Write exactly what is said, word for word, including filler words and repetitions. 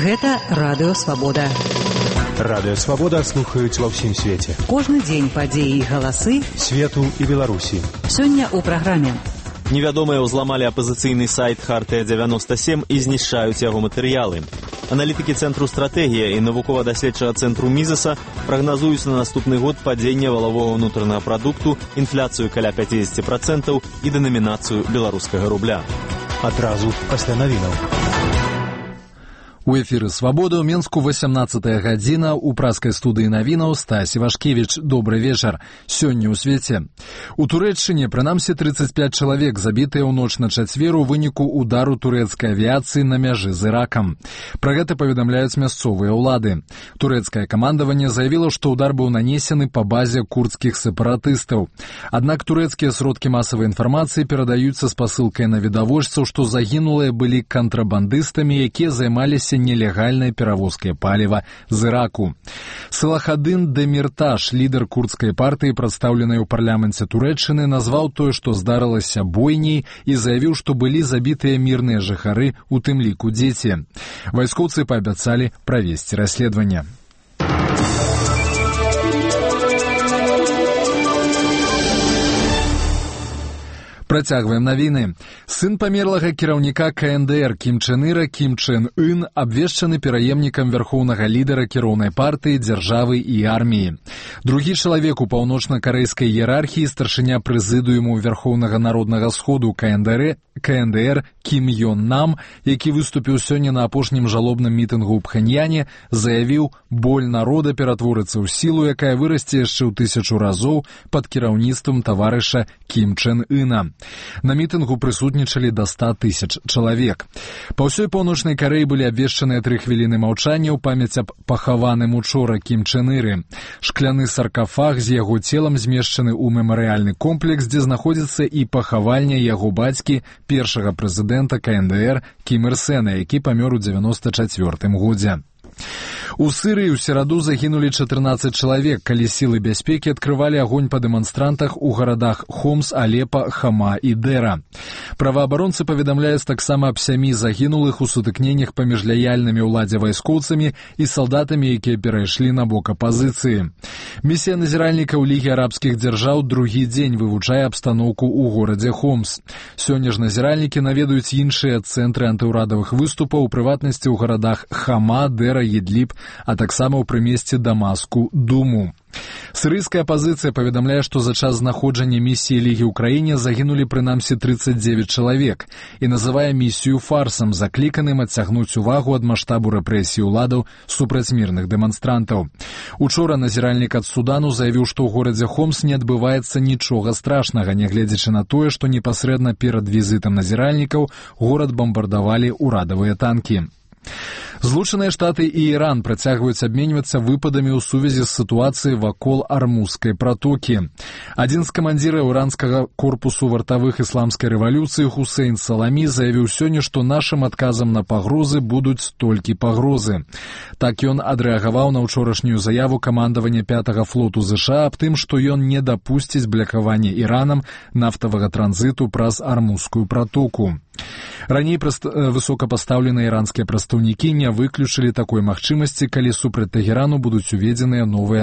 Гэта Радыё Свабода. Радыё Свабода слухаюць ва ўсім свеце. Кожны дзень падзеі і галасы свету і Беларусі. Сёння ў праграме. Невядомыя ўзламалі апазіцыйны сайт Хартыя дзевяносто сем і знішчаюць яго матэрыялы. Аналітыкі Цэнтру стратэгія і навукова-даследчага цэнтру Мізеса прагназуюць на наступны год падзенне валавога ўнутранага прадукту, інфляцыю каля пяцьдесят процентаў і дэнамінацыю беларускага рубля. Адразу пасля навінаў. У эфіры «Свабода» ў Менску восемнадцатая гадзіна, у праскай студыі навінаў Стась Івашкевіч. Добры вечар. Сёння ў свеце. У Турэччыне, прынамсі, тридцать пять чалавек забітыя ў ноч на чацвер у выніку удару турэцкай авіяцыі на мяжы з Іракам. Пра гэта паведамляюць мясцовыя ўлады. Турэцкае камандаванне заявіла, што ўдар быў нанесены па базе курдскіх сепаратыстаў. Аднак турэцкія сродкі масавай інфармацыі перадаюцца з пасылкай на відавочцаў, што загінулыя былі кантрабандыстамі, якія займаліся нелегальной перавозкай паліва з Іраку. Салахаддин Демирташ, лідар курдскай партыі, прадстаўленай у парламенце Турэччыны, назваў тое, што здарылася бойняй, і заявіў, што былі забітыя мірныя жыхары, у тым ліку дзеці. Вайскоўцы паабяцалі правесці расследаванне. Працягваем навіны. Сын памерлага кіраўніка ка эн дэ эр Кім Чен Іра Кім Чен Ын абвешчаны пераемнікам вярхоўнага лідара кіроўнай партыі, дзяржавы і арміі. Другі чалавек у паўночна-карэйскай іерархіі, старшыня прэзідыуму Вярхоўнага народнага сходу ка эн дэ эр Кім Ён Нам, які выступіў сёння на апошнім жалобным мітынгу ў Пхэньяне, заявіў: боль народа ператворыцца ў сілу, якая вырасце яшчэ ў тысячу разоў пад кіраўніцтвам таварыша Кім Чен Іна. На мітынгу прысутнічалі да ста тысяч чалавек. Па ўсёй паўночнай Карэі былі абвешчаныя тры хвіліны маўчання ў памяць аб пахаваным учора Кім Чен Іры. Шкляны саркафаг з яго целам змешчаны ў мемарыяльны комплекс, дзе знаходзіцца і пахавальня яго бацькі, першага прэзідэнта ка эн дэ эр Кім Ір Сэна, які памёр у дзевяноста чацвёртым годзе. У Сырыі ў сераду загінулі чатырнаццаць чалавек, калі сілы бяспекі адкрывалі агонь па дэманстрантах у гарадах Хомс, Алепа, Хама і Дэра. Праваабаронцы паведамляюць таксама аб сямі загінулых у сутыкненнях паміж лаяльнымі ўладзе вайскоўцамі і салдатамі, якія перайшлі на бок апазіцыі. Місія назіральнікаў Лігі арабскіх дзяржаў другі дзень вывучае абстаноўку ў горадзе Хомс. Сёння ж назіральнікі наведаюць іншыя цэнтры антыўрадавых выступаў, у прыватнасці ў гарадах Хама, Дэра, Едліб, а таксама ў прымесці Дамаску, Думу. Сырыйская апазіцыя паведамляе, што за час знаходжання місіі Лігі ў краіне загінулі прынамсі тридцать девять чалавек і называе місію фарсам, закліканым адцягнуць увагу ад маштабу рэпрэсій уладаў супраць мірных дэманстрантаў. Учора назіральнік ад Судану заявіў, што ў горадзе Хомс не адбываецца нічога страшнага, нягледзячы на тое, што непасрэдна перад візітам назіральнікаў горад бамбардавалі ўрадавыя танкі. Злучаныя Штаты і Іран працягваюць абменьвацца выпадамі ў сувязі з сітуацыяй вакол Армузскай пратокі. Адзін з камандзіраў іранскага корпусу вартавых ісламскай рэвалюцыі Хусейн Саламі заявіў сёння, што нашым адказам на пагрозы будуць толькі пагрозы. Так ён адрэагаваў на ўчорашнюю заяву камандавання пятага флоту ЗША аб тым, што ён не дапусціць блакавання Іранам нафтавага транзіту праз Армузскую пратоку. Раней высокапастаўленыя іранскія прадстаўнікі не выключылі такой магчымасці, калі супраць Тэхерану будуць уведзеныя новыя